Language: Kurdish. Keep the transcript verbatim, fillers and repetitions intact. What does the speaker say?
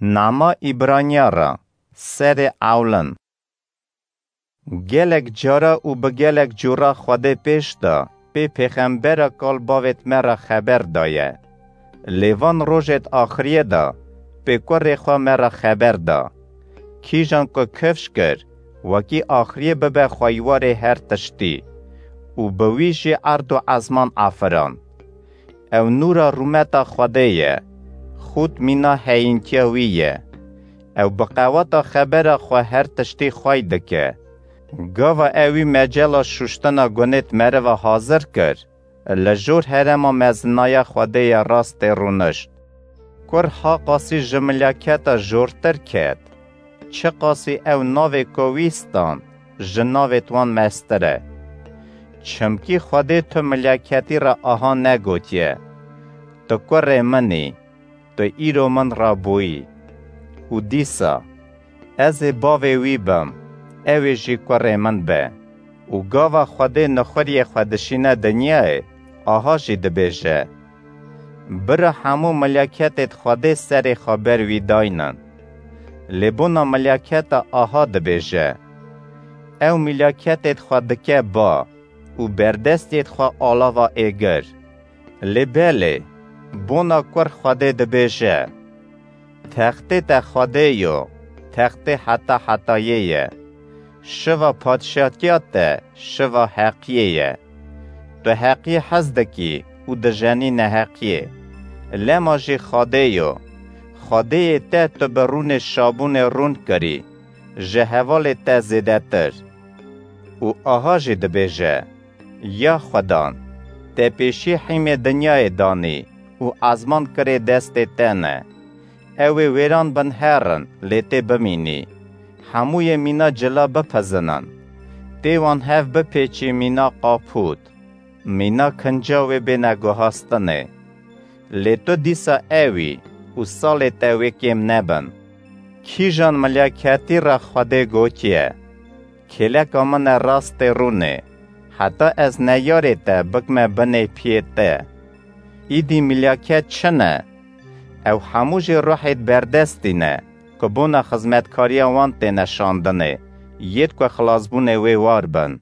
Nama Îbraniya re, serê ewlin. Gelek cara û bi gelek cûra Xwedê pêş de pê pêxembera kal bavêt me re xeber daye. Lê van rojêt axiriyê de pê kurê xwe me re xeber da. Kîjan ku kifş kir, wekî axiriyê bibe xweywarê her tiştî û bi wî jî erd û ezman afirand. Ew nûra rûmeta Xwedê ye, xût mîna heyîntiya wî ye. Ew bi qeweta xebera xwe her tiştî xwey dike. Gava ewî mecela şuştina gunêt meriva hazir kir, li jor herema mezinaya Xwedê ya rastê rûnişt. Kur ha qasî ji milaketa jortir ket, çi qasî ew navê ku wî stand, ji navêt wan mestir e. Çimkî Xwedê tu milaketî re aha negotiye: "Tu kurê min î, tu îro min re bûyî." Û dîsa, "Ez ê bavê wî bim, ew ê jî kurê min be." Û gava Xwedê nixuriyê xwe dişîne dinyayê, aha jî dibêje: "Bira hemû milaketêt Xwedê serê xwe ber wî daynin." Lê bona milaketa aha dibêje: "Ew milaketêt xwe dike ba û berdestêt xwe alava êgir." Lê belê, bona kur Xwedê dibêje: "Textê te Xwedê yo, textê heta hetayê ye. Şiva padşatiya te şiva heqiyê ye. Tu heqiyê hez dikî û dijenî neheqiyê. Lema jî Xwedê yo. Xwedêyê te tu bi rûnê şabûnê rûn kirî, ji hevalê te zêdetir." Û aha jî dibêje: "Ya Xwedan, te pêşî hîmê dinyayê danî û ezman kirê destê te ne. Ew ê wêran bin herin, lê tê bimînî. Hemûyê mîna cila bipizinin. Tê wan hev bipêçî mîna qapût, mîna kinca wê bêne guhastinê. Lê tu dîsa ew î û salê te wê kêm nebin." Kîjan milaketî re Xwedê gotiye: "Kêleka min e rastê rûnê, heta ez neyarê te bikme binê piyê te"? Îdî milaket çi ne? Ew hemû jî ruhêt berdestî ne, ku bona xizmetkariya wan têne şandinê, yêt ku xilasbûnê wê war bin.